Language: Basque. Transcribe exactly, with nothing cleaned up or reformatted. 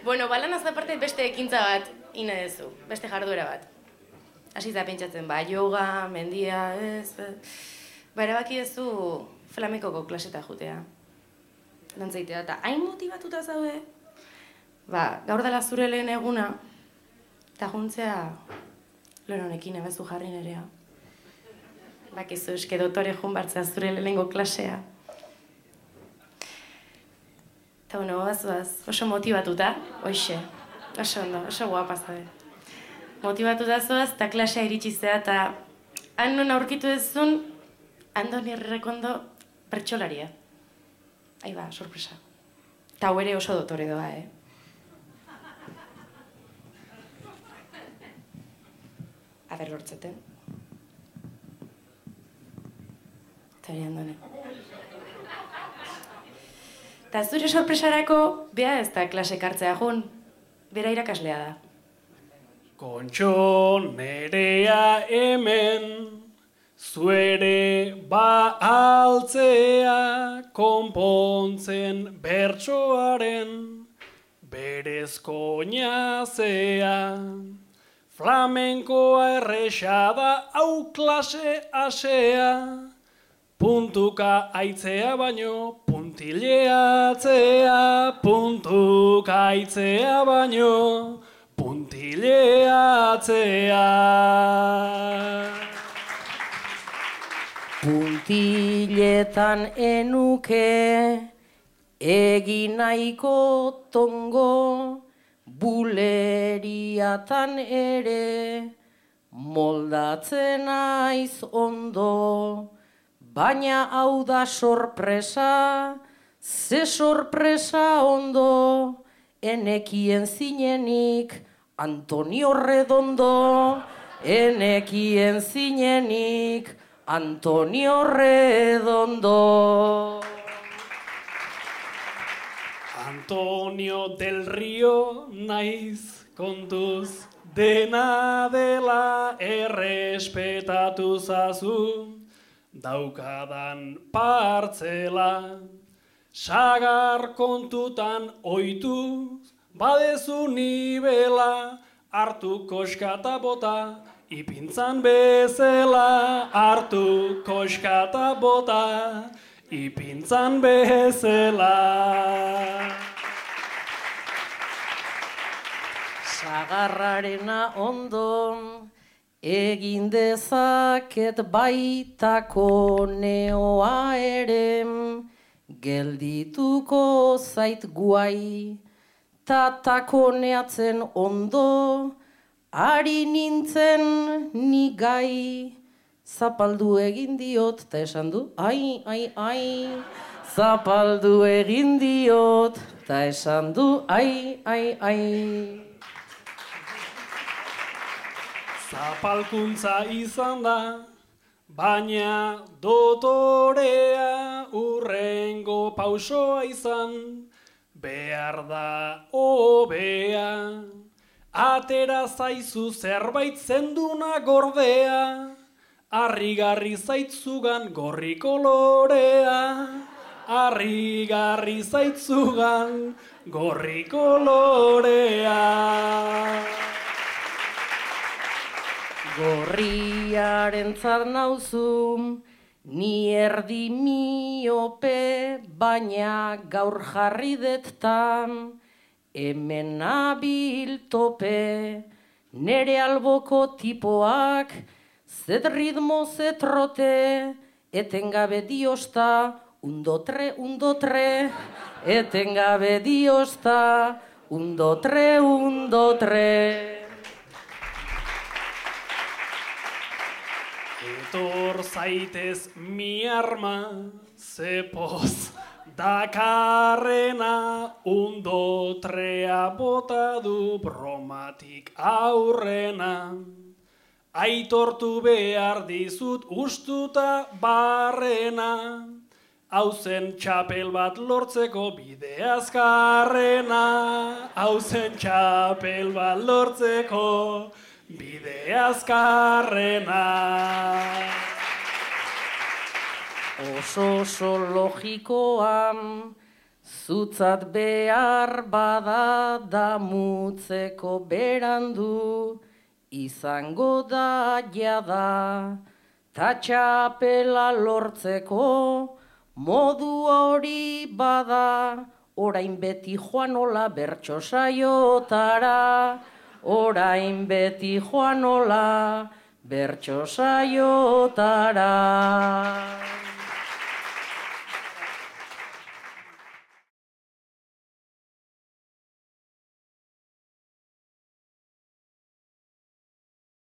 Bueno, balanaz aparte beste ekintza bat ine dezu, beste jarduera bat. Hasi da pentsatzen, ba, yoga, mendia, ez... Ba, erabaki dezu flamenkoko klaseta jutea. Dantzaitea, eta hain motibatuta zaude, ba, gaur dela zure lehen eguna, eta juntzea lehen honekin ebezu jarri nerea. Bakizu eske dotore jun bartzea zure lehenengo klasea. Eta bueno, bazuaz, oso motibatuta, hoxe, oso ondo, oso guapa zabe. Motibatuta zoaz, eta klasea iritsizea, eta han non aurkitu dezun, Andoni Errekondo pertsolaria. Ahí ba, sorpresa. Eta hau ere oso dotore doa, eh? A ber, lortzeten. Eta hori Andoni. Eta zure sorpresarako, bea ez da klasek hartzea jun, bera irakaslea da. Kontxo nerea hemen, zuere ba altzea, konpontzen bertsoaren, berezko oinazea. Flamenkoa erresa da, hau klase asea, puntuka aitzea baino, puntileatzea, puntuka aitzea baino, puntileatzea. Puntiletan enuke, egin nahiko tongo, buleriatan ere, moldatzen naiz ondo. Baina hau da sorpresa, ze sorpresa ondo, enekien zinenik Antonio Redondo, enekien zinenik Antonio Redondo. Antonio del Rio naiz kontuz, dena dela errespetatu zazu, daukadan partzela, sagar kontutan oituz, badezu nibela, hartu koskata bota, ipintzan bezela, hartu koskata bota, ipintzan bezela. Sagarrarena ondo, egin dezaket baitako neoa ere, geldituko zait guai, tatakoneatzen ondo, ari nintzen ni gai, zapaldu egin diot, eta esan du, ai, ai, ai, zapaldu egin diot, eta esan du, ai, ai, ai. Zapalkuntza izan da, baina dotorea urrengo pausoa izan, behar da hobea, atera zaizu zerbait zenduna gordea, harrigarri zaitzugan gorri kolorea, harrigarri zaitzugan gorri kolorea. Gorriaren zar nauzu, ni erdi miope, baina gaur jarri dettan, hemen nabil tope, nere alboko tipoak, zet ritmo zet rote, etengabe diosta, undotre, undotre, etengabe diosta, undotre, undotre. Etor zaitez mi arma, zepoz dakarrena, undotrea bota du bromatik aurrena. Aitortu behar dizut ustuta barrena, hauzen txapel bat lortzeko bide azkarrena, hauzen txapel bat lortzeko bide azkarrena. Oso oso logikoa, zutzat behar bada damutzeko berandu, izango da jada, ta txapela lortzeko modu hori bada, orain beti joanola bertso saiotara, orain beti joanola bertso saiotara.